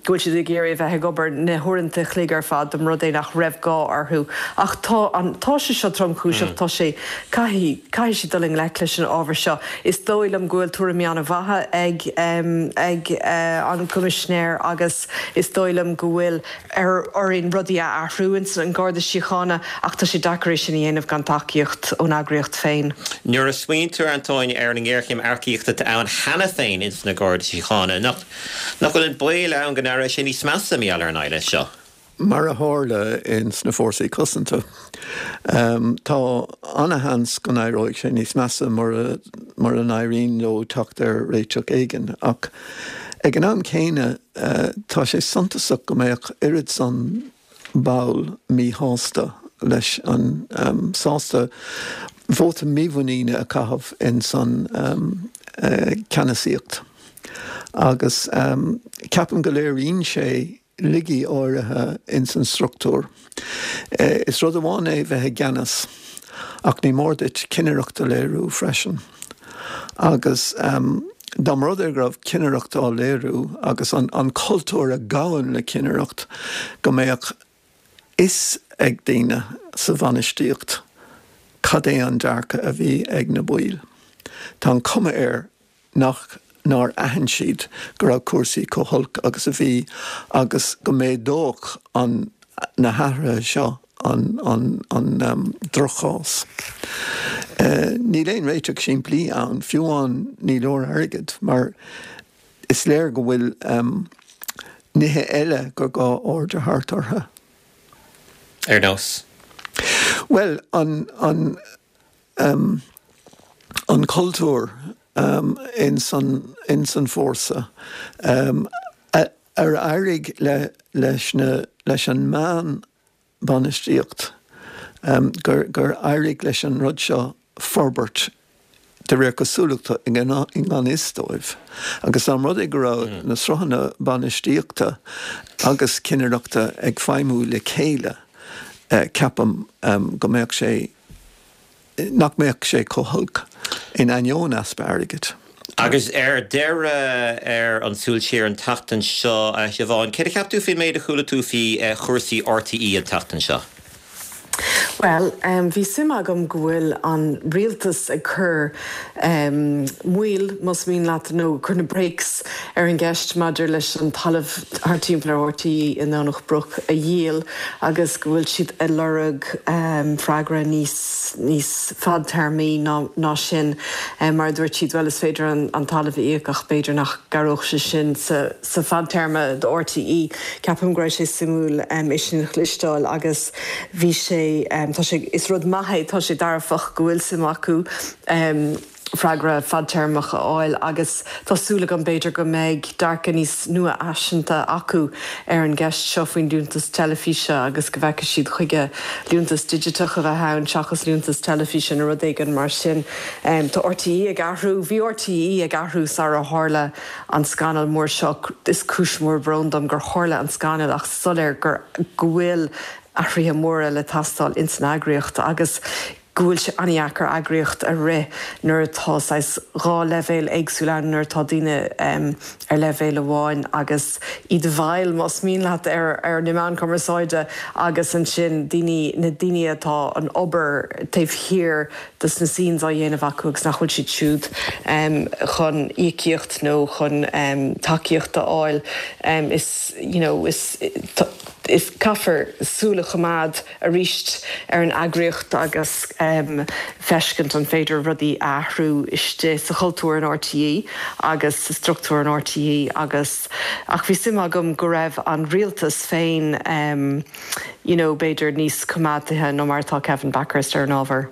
go bhfuil siad ag iarraidh a bheith ag obair na huaireanta an chloig ar fad dá mba rud é nach raibh gá orthu ach tá an tá sé seo tromchúiseach, tá sé caithfidh caithfidh siad dul i ngleic leis an ábhar seo. Is dóigh liom go bhfuil tuairimí an-mhaithe ag ag an gCoimisinéir agus is dóigh liom go bhfuil ar orainn rudaí a athrú ins an Garda Síochána ach tá sé deacair é sin a dhéanamh gan tacaíocht ón eagraíocht féin. Nuair a smaointear, Antóin, ar an ngéarchéim earcaíochta atá ann cheana féin ins na Gardaí Síochána, nach nach bhfuil an baol ann go n-éireoidh sé níos measa mar gheall ar an éileamh seo? Mar a tharla ins na fórsaí cosanta, tá ana-sheans go n-éireoidh sé níos measa mura mura n-éiríonn leo teacht ar réiteach éigin. Ach ag an am céanna, tá sé suntasach go mbeadh oiread san ball míshásta leis an sásta vóta mímhuiníne a chaitheamh ins an ceannasaíocht agus ceapaim go léiríonn sé laigí áirithe ins an struchtúr. Is rud amháin é bheith i gceannas ach ní mór duit cinnireacht a léiriú freisin. Agus dá mba rud é go raibh cinnireacht á léiriú agus an cultúr a ghabhann le cinnireacht, go mbeadh fhios ag daoine sa bhainistíocht cad é an dearcadh a bhí ag na baill. Tá an chuma air nach nár aithin siad go raibh cúrsaí chomh holc agus a bhí agus go méadódh an na hathruithe seo an an an drochchás. Níl aon réiteach simplí ann, fiú amháin ní leor airgead mar is léir go bhfuil nithe eile gur gá aird a thabhairt orthu. Ar nós? Bhuel, an an an cultúr ins an ins an fórsa. Ar éirigh le leis na leis an meán bainistíocht gur gur éirigh leis an rud seo forbairt de réir cosúlachta i ngan fhios dóibh. Agus dá mba rud é go raibh na sruthanna bainistíochta agus cinnireachta ag feidhmiú le chéile, ceapaim go mbeadh sé, nach mbeadh sé chomh holc in ainneoin easpa airgid. Agus ar deireadh ar an Súil Siar an tseachtain seo, a Shiobhán, céard a cheap tú faoin méid a chuala tú faoi chúrsaí RTÉ an tseachtain seo? Bhuel, bhí suim agam go bhfuil an rialtas ag cur moill, más mian leat, nó cur na brakes ar an gceist maidir leis an talamh thart timpeall ar RTÉ i nDomhnach Broc a dhíol agus go bhfuil siad ag lorg freagra níos níos fadtéarmaí ná sin. Mar a dúirt siad, bhuel is féidir an talamh a íoc ach b'fhéidir nach gcabhródh sé sin sa sa fadtéarma do RTÉ. Ceapaim go raibh sé suimiúil é sin a chloisteáil agus bhí sé, tá sé, is rud maith é, tá sé dearfach go bhfuil suim acu freagra fadtéarmach a fháil agus tá súil agam b'fhéidir go mbeidh dearcadh níos nua-fhaiseanta acu ar an gceist seo faoin liúntas teilifíse agus go bhfeicfidh siad chuige liúntas digiteach a bheith ann seachas liúntas teilifíse nó rud éigin mar sin. Tá RTÉ ag athrú, bhí RTÉ ag athrú sara tharla an scannal mór seo, is cúis mhór bróin dom gur tharla an scannal ach soiléir gur go bhfuil athruithe móra le teastáil ins an eagraíocht agus go bhfuil sé an-dheacair eagraíocht a rith nuair atá saghas dhá leibhéal éagsúil ann, nuair atá daoine ar leibhéal amháin agus iad i bhfeighil, más mian leat, ar ar na meáin chumarsáide agus ansin daoine, na daoine atá an obair taobh thiar dos na scenes á dhéanamh acu agus nach bhfuil siad siúd chun íocaíocht nó chun tacaíocht a fháil. Is, you know, is. Is caithfear súil a choimeád arís ar an eagraíocht agus feiscint an féidir rudaí a athrú istigh sa chultúr in RTÉ agus sa struchtúr in RTÉ agus ach bhí suim agam go raibh an rialtas féin you know b'fhéidir níos coimeádaithe ná mar atá Kevin Bakhurst ar an ábhar.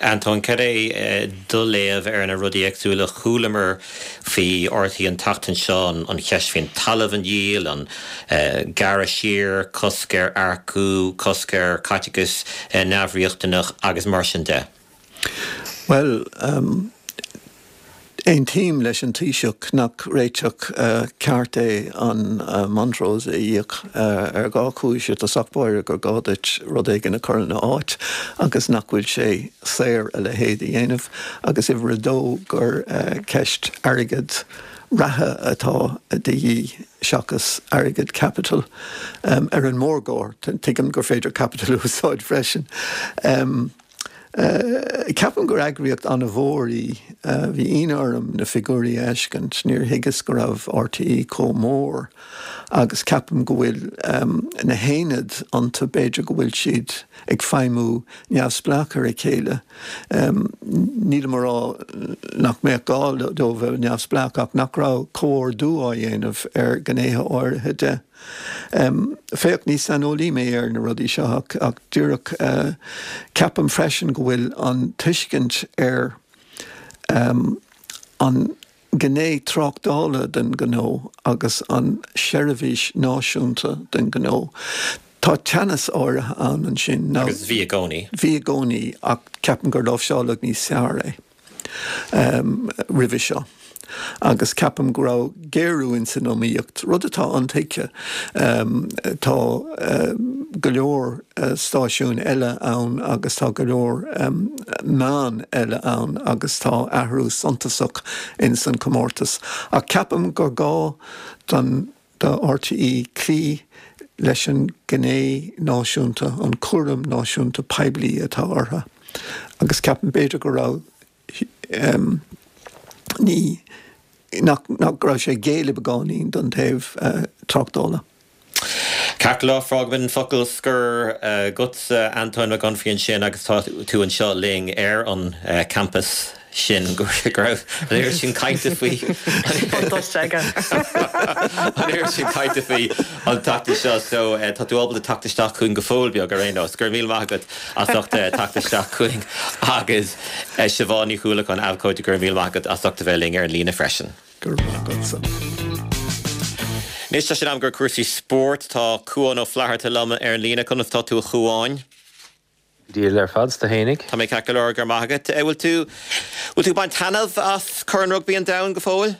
Antóin, cad é do léamh ar na rudaí éagsúla a chualamar faoi RTÉ an tseachtain seo, an cheist faoin talamh a dhíol, an gearradh siar, cosc ar earcú, cosc ar chaiteachas neamhriachtanach agus mar sin de? Bhuel, Aontaím leis an Taoiseach nach réiteach ceart é an Montrose a íoc ar dhá chúis, i dtosach báire gur gá duit rud éigin a chur ina áit agus nach bhfuil sé saor a leithéid a dhéanamh, agus uimhir a dó gur ceist airgead reatha atá de dhíth seachas airgead caipitil ar an mórgóir. Tuigim gur féidir caipiteal a úsáid freisin. Ceapaim gur eagraíocht an-mhór í. Bhí ionadh orm na figiúirí a fheiscint. Níor thuigeas go raibh RTÉ chomh mór agus ceapaim go bhfuil na haonaid iontu, b'fhéidir go bhfuil siad ag feidhmiú neamhspleách ar a chéile. Nílim a rá nach mbeadh gá dóibh a bheith neamhspleách ach nach raibh comhordú á dhéanamh ar ghnéithe áirithe de. Féach, ní saineolaí mé ar na rudaí seo ach ach díreach ceapaim freisin go bhfuil an tuiscint ar an gné tráchtála den ghnó agus an seirbhís náisiúnta den ghnó, tá teannas áirithe ann ansin. Agus bhí i gcónaí. Bhí i gcónaí ach ceapaim gur láimhseáladh níos fearr é roimhe seo. Agus ceapaim go raibh géarú ins an iomaíocht, rud atá intuigthe. Tá go leor stáisiún eile ann agus tá go leor meán eile ann agus tá athrú suntasach ins an chomórtas. Ach ceapaim gur gá don do RTÉ cloí leis an ghné náisiúnta, an cúram náisiúnta poiblí atá orthu. Agus ceapaim b'fhéidir go raibh ní, nach, nach raibh sé ag géilleadh beagáinín don taobh tráchtála. Ceart go leor, fágfaimid an focal scoir agatsa, Antóin Mac Unfraidh ansin agus tá tú anseo linn ar an campas sin go raibh an oiread sin cainte faoi an oiread sin cainte faoi an tseachtain seo so tá tú ábalta teacht isteach chugainn go fóill beag ar aon nós. Go raibh míle maith agat as ucht teacht isteach chugainn agus Siobhán Ní Chuallacháin, abhcóide, go raibh míle maith agat as ucht a bheith linn ar an líne freisin. Go raibh maith agatsa. Anois tá sé in am do chúrsaí spóirt. Tá Cuán Ó Flatharta liom ar an líne. Conas tá tú a Chuáin? Dia ar fad 's tú fhéinig. Tá mé ceart go leor, go raibh maith agat. Bhfuil tú bhfuil tú ag baint taitneamh as Corn Rugbaí an Domhain go fóill?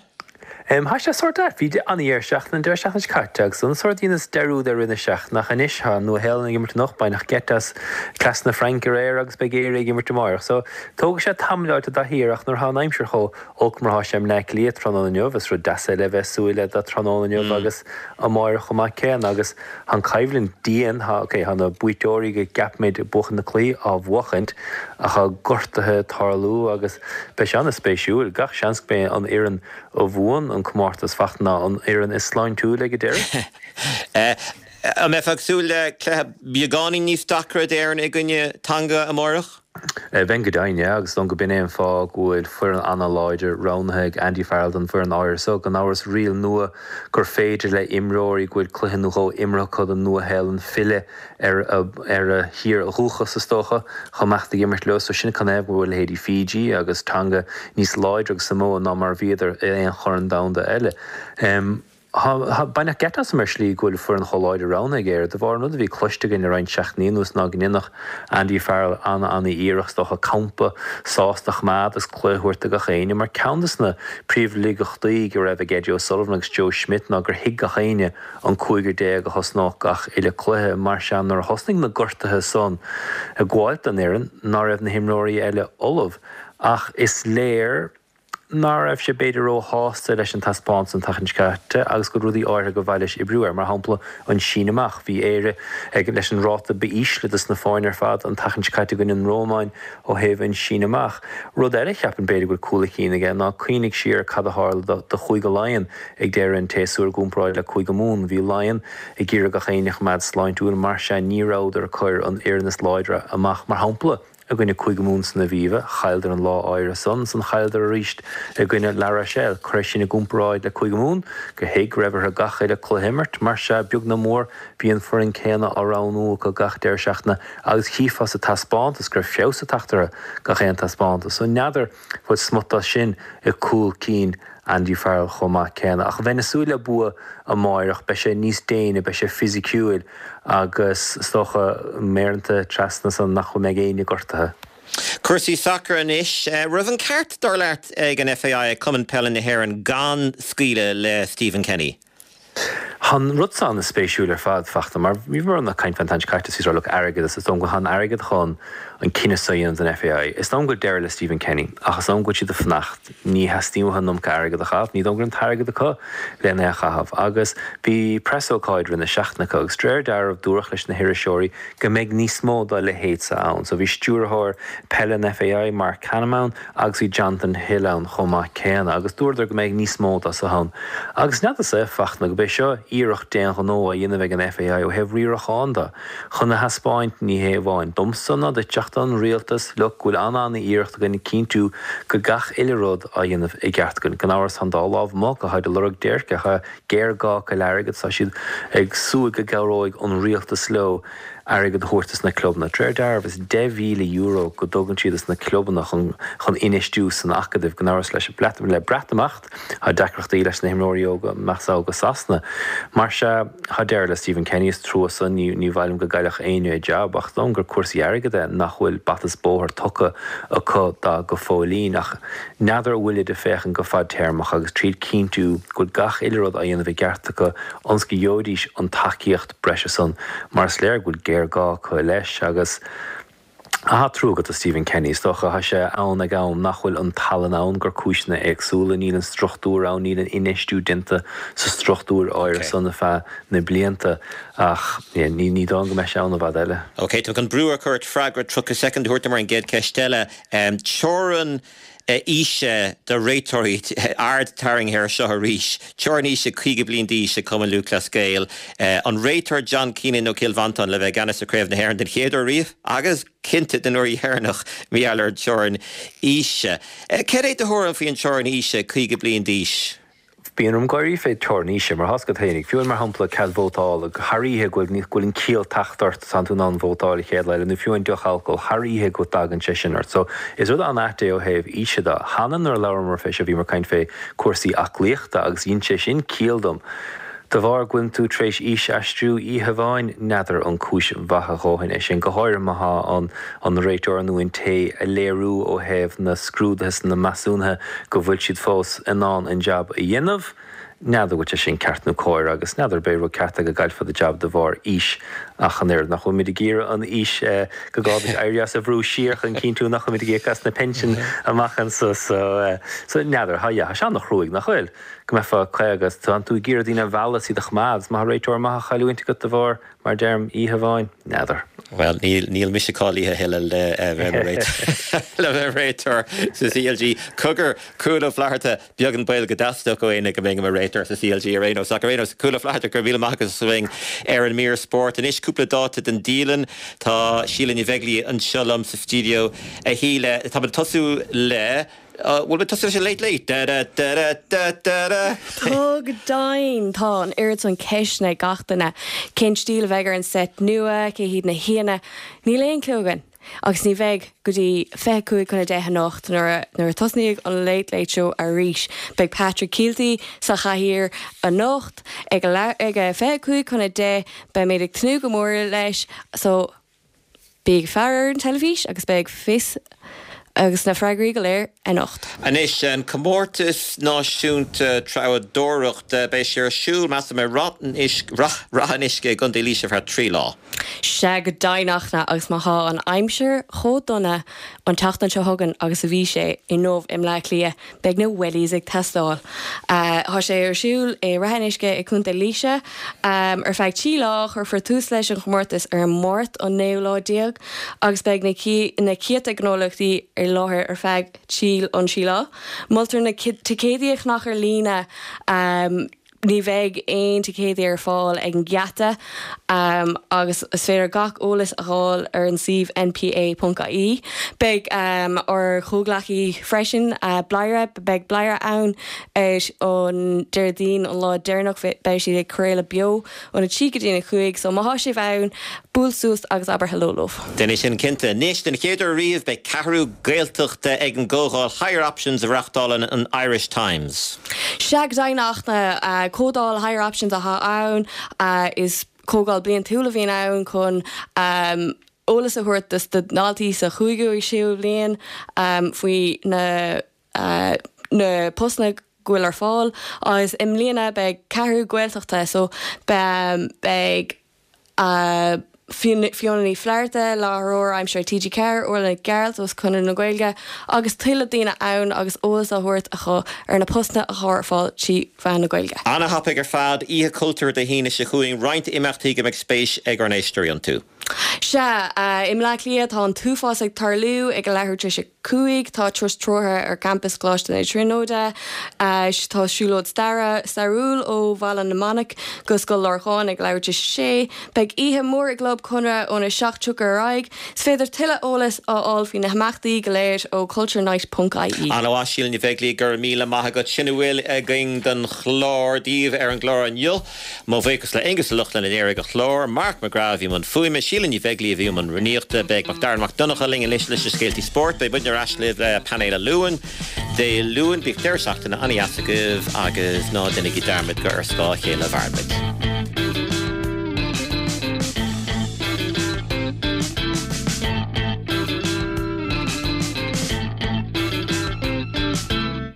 Thá sé sórt ait. Bhí an-dheireadh seachtaine an deireadh seachtaine seo caite agus an sórt dheineas dearúd ar rith na seachtaine ach anois thá an Nua-Shéalainn ag imirt anocht, baineadh geit as cleas na Fraince aréir agus beidh Éire ag imirt amáireach. So tógfaidh sé tamall i dtaithí air ach nuair thá an aimsir chomh olc mar thá sé i mBleá Cliath tráthnóna inniu is rud deas é le bheith súil le do tráthnóna inniu agus amáireach chomh maith céanna agus thá an coimhlint dian, thá, ok, thá na buaiteoirí go gceapaimid ag buachan na cluichí á bhuachaint ach thá gortuithe ag tarlú agus beidh sé an-spéisiúil. Gach seans go mbeidh an fhoireann a bhuann an comórtas fachta ná an fhoireann is sláintiúil ag an deireadh. An mbeifeá ag súil le cluiche beagáinín níos deacra d'Éirinn i gcoinne Tonga amárach? Bheinn go deimhin, yeah, agus is dóigh liom go b'in é an fáth go bhfuil foireann an-láidir roghnaithe ag Andy Farrell don bhfoireann áirithe so. Gan amhras, riail nua gur féidir le imreoirí go bhfuil cluiche nó dhó imeartha acu don Nua-Shéalainn filleadh ar a ar a thír dhúchas, is dócha, chomh maith ag imirt leo. So sin canathaobh go bhfuil leithéidí Fiji agus Tonga níos láidre ag Samoa ná mar a bhíodar i aon chorn domhanda eile. Tá, baineadh geit asam ar shlí go bhfuil foireann chomh láidir roghnaithe ag Éire. De bharr an rud a bhí cloiste againn le roinnt seachtainí anuas ná go ndéanfadh Andy Farrell an-an-iarracht is dócha campa sásta a choimeád agus cluiche a thabhairt do gach éinne. Mar ceann de na príomhlaigeachtaí go raibh ag Eddie O'Sullivan agus Joe Schmidt ná gur thuig gach éinne an cúigear déag a thosnódh gach uile cluiche. Mar sea nuair a thosnaigh na gortuithe san ag gabháilt don fhoireann ná raibh na himreoirí eile ullamh. Ach is léir ná raibh sé b'fhéidir róshásta leis an taispeántas an tseachtain seo caite agus go bhfuil rudaí áirithe gur mhaith leis oibriú air, mar shampla an síneadh amach. Bhí Éire ag leis an ráta ba ísle dos na foirne ar fad an tseachtain seo caite i gcoinne an Rómáin ó thaobh an síneadh amach. Rud eile a cheapaim b'fhéidir go bhfuil cúl a chinn aige ná cuimhnigh siar ar cad a tharla do do Chúige Laighean ag deireadh an tséasúir i gcomparáid le Cúige Mumhan. Bhí Laighean ag iarraidh gach éinne a choimeád sláintiúil mar sea ní rabhadar ag cur an fhoireann is láidre amach mar shampla. I gcoinne Cúige Mumhan san Aviva, chailleadar an lá áirithe san, san chailleadar arís i gcoinne La Rochelle. Cuir é sin i gcomparáid le Cúige Mumhan, gur thuig go raibh orthu gach uile cluiche a imirt, mar sea, beag nó mór, bhí an foireann céanna á roghnú acu gach deireadh seachtaine agus chífeá sa taispeántas go raibh feabhas ag teacht orthu gach aon taispeántas. So n'fheadar bhfuil smut as sin i gcúl cinn Andy Farrell chomh maith céanna. Ach bheinn ag súil le bua amáireach, beidh sé níos déine, beidh sé fisiciúil agus is dócha méaranta trasna san nach mbeidh éinne gortaithe. Cúrsaí sacair anois. Raibh an ceart, dar leat, ag an FAI, ag Cumann Peile na hÉireann, gan scaoileadh le Stephen Kenny? Tá an rud seo an-spéisiúil ar fad, Fachtna, mar bhíomar ag caint fán tseachtain seo caite is bhí lucht airgead is is dóigh liom go bhfuil an airgead chun an cinneadh seo a dhéanamh don FAI. Is dóigh liom go bhfuil deireadh le Stephen Kenny ach is dóigh liom go bhfuil siad ag fanacht. Ní theastaíonn uathu an iomarca airgead a chaitheamh, ní dóigh liom go raibh an t-airgead acu lena é a chaitheamh. Agus bhí preasócáid roimh na seachtaine acu agus de réir dealraimh dúradh leis na hiriseoirí go mbeidh níos mó dá leithéid seo ann. So bhí stiúrthóir peile an FAI, Marc Canham ann agus bhí Jonathan Hill ann chomh maith céanna agus dúradar go mbeidh níos mó dá seo ann. Agus n'fheadar-sa, Fachtna, go b'é seo iarracht d'aon ghnó á dhéanamh ag an FAI ó thaobh riaracháin de, chun a thaispeáint, ní hé amháin domsa ná duit ach don rialtas, look, go bhfuil an-an-iarracht againn cinntiú go gach uile rud á dhéanamh i gceart againn. Gan amhras tá an dá lámh amuigh, go háirid ag lorg déirce, tá géarghá acu le airgead, tá siad ag súil go gcabhróidh an rialtas leo airgead a thabhairt dos na clubanna. De réir dealraimh is deich mhíle euro go dtugann siad dos na clubanna chun chun infheistiú san acadamh. Gan amhras leis le Breatimeacht tá deacrachtaí leis na himreoirí óga imeacht go Sasana. Mar sea tá deireadh le Stephen Kenny is trua san ní ní mhaith liom go gcaillfeadh éinne a jab ach is dóigh liom gur cúrsaí airgid é nach bhfuil bata is bóthar tugtha acu dó go fóillín ach n'fheadar an bhfuilid ag féachaint go fadtéarmach agus tríd cinntiú go bhfuil gach uile rud á dhéanamh i gceart acu ionas go gheobhaidís an tacaíocht breise san mar is léir go bhfuil géarghá acu leis agus tá trua agat do Stephen Kenny. Is dócha tá sé ann ag am nach bhfuil an tallann ann gur cúiseanna éagsúla, níl an struchtúr ann, níl an infheistiú déanta sa struchtúr áirithe san ar feadh na blianta ach ní ní dóigh go mbeidh sé ann i bhfad eile. Ok, tá mé chun brú a chur ort freagra tríocha soicind a thabhairt dom ar an gcéad cheist eile. Teorainn aoise do réiteoirí, aird tarraingthe air seo arís, teorainn aoise caoga bliain d'aois ag Cumann Lúthchleas Gael, an réiteoir John Keenan ó Chill Mhantáin le bheith i gceannas ar Chraobh na hÉireann den chéad uair riamh agus cinnte den uair dheireanach mar gheall ar an teorainn aoise. Céard é do thuairim faoin teorainn aoise caoga bliain d'aois? Bíonn orm gáirí fé teorainn aoise, mar thásca féinig, fiú mar shampla cead vótála, thar oíche go bhfuil go bhfuil an ciall tagtha ort tánn tú in ann vótáil an chéad lá eile, nó fiú an deoch alcóil, thar oíche go dtagann sé sin ort. So, is rud an-ait é ó thaobh aoise de. Cheana nuair a labhramar fé seo bhíomar ag caint fé cúrsaí aclaíochta agus dhein sé sin ciall dom. De bharr go bhfuil tú tar éis aois a aistriú oíche amháin, n'fheadar an cúis mhaith a dhóthain é sin, go háirithe má thá an an réiteoir nó an té ag léiriú ó thaobh na scrúduithe is na measúnuithe go bhfuil siad fós in ann an jab a dhéanamh. N'fheadar bhfuil sé sin ceart nó cóir agus n'fheadar b'é rud ceart é go gcaillfeá do jab de bharr aois ach an oiread. Nach bhfuilimid ag iarraidh an aois go gcaithfimid éirí as a bhrú siar chun cinntiú nach bhfuilimid ag íoc as na pinsin amach anso so so n'fheadar. Tá yeah tá sé an-chruaidh nach bhfuil? Go mbeifeá caoga is tá tú ag iarraidh daoine a mhealladh is iad a choimeád is má tá réiteoir maith á chailliúint agat de bharr mar a deirim oíche amháin. N'fheadar. Bhuel, níl, níl mise cáilithe a thuilleadh le bheith mar réiteoir, le bheith mar réiteoir sa CLG. Cogar, Cúil Ó Flatharta, beag an baol go dteastódh ó éinne go mbeinn i mo réiteoir sa CLG ar aon nós. Ach ar aon nós, Cúil Ó Flatharta, go raibh míle maith agat as a bheith ar an mír spóirt. Anois cúpla dáta den dialann. Tá Síle Ní Bheaglaoi anseo liom sa stiúideo. A Shíle, táimid ag tosú le. Bhfuil mé tosú leis an Late Late? Da da da da da da da. Tá go deimhin! Tá an oiread san ceisteanna ag gach duine. Cén stíl a bheidh ar an seit nua? Cé hiad na haíonna? Níl aon clue againn. Agus ní bheidh go dtí fiche cúig chun a deich anocht nuair a nuair a tosnaíonn an Late Late Show arís. Beidh Patrick Kielty sa chathaoir anocht ag a ag a fiche cúig chun a deich. Beimid ag tnúth go mór leis so bí ag faire ar an teilifís agus beidh fios agus na freagraí go léir anocht. Anois, an Comórtas Náisiúnta Treabhdóireachta, beidh sé ar siúl, measaim, i Rath an Uisce i gContae Laoise ar feadh trí lá. Sea go deimhin Fhachtna, agus má thá an aimsir chomh dona an tseachtain seo chugainn agus a bhí sé inniu i mBleá Cliath, beidh na wellies ag teastáil. Thá sé ar siúl i Rath an Uisce i gContae Laoise ar feadh trí lá. Cuirfear tús leis an chomórtas ar an Máirt an naoú lá déag agus beidh na céadta gnólachtaí i láthair ar feadh trí an trí lá. Moltar na ticéidí a cheannach ar líne. Ní bheidh aon ticéidí ar fáil ag an ngeata agus is féidir gach eolas a fháil ar an suíomh npa ponc ie. Beidh ár chomhghleacaí freisin, Bladhaire, beidh Bladhaire ann ar an Déardaoin, an lá deireanach, beidh siad ag craoladh beo óna trí go dtí a cúig so má thá sibh ann, buail suas agus abair hello leo. Déan é sin cinnte. Anois, den chéad uair riamh, beidh ceathrú Gaeltachta ag an gcomhdháil Higher Options a reáchtálann an Irish Times. Sea go deimhin a Fhachtna, comhdháil Higher Options atá ann. Is comhdháil bliantúil a bhíonn ann chun eolas a thabhairt do dhaltaí sa chúigiú agus séú bliain faoi na na postanna go bhfuil ar fáil agus i mbliana beidh ceathrú Gaeltachta so beidh Fiona Ní Flatharta, láithreoir aimsire TG Ceathair, Orla Nic Gearailt ó Chonradh na Gaeilge agus tuilleadh daoine ann agus eolas á thabhairt acu ar na postanna atá ar fáil trí mheán na Gaeilge. Ana-thapaidh ar fad, Oíche Chultúir Dé hAoine seo chugainn, roinnt imeachtaí go mbeidh spéis ag ár n-éisteoirí iontu. Sea, i mBleá Cliath tá an t-uafás ag tarlú ag a leathuair tar éis a cúig. Tá turas treoraithe ar champas Choláiste na Tríonóide. Tá siúlóid staire stairiúil ó Bhaile na Manach go Scoil Lorcáin ag leathuair tar éis a sé. Beidh oíche mhór i gClub Chonradh óna seacht tríocha ar aghaidh. Is féidir tuilleadh eolais a fháil faoi na himeachtaí go léir ó culturenight ponc ie. Ana-mhaith, Síle Ní Bheaglaoi, go raibh míle maith agat. Sin a bhfuil againn don chlár daoibh ar an gclár inniu. Mo bhuíochas le Aengus Ó Lochlainn a léirigh an clár, Mark McGrath a bhí i mbun fuaime, Síle Ní Bheaglaoi a bhí i mbun rúnaíochta. Beidh Macdara Mac Donncha linn anois leis na scéaltaí spóirt. Beidh muidne ar ais libh le painéal an Luain Dé Luain. Bíodh deireadh seachtaine an-dheas agaibh agus ná déanaigí dearmad gur ar scáth a chéile a mhairimid.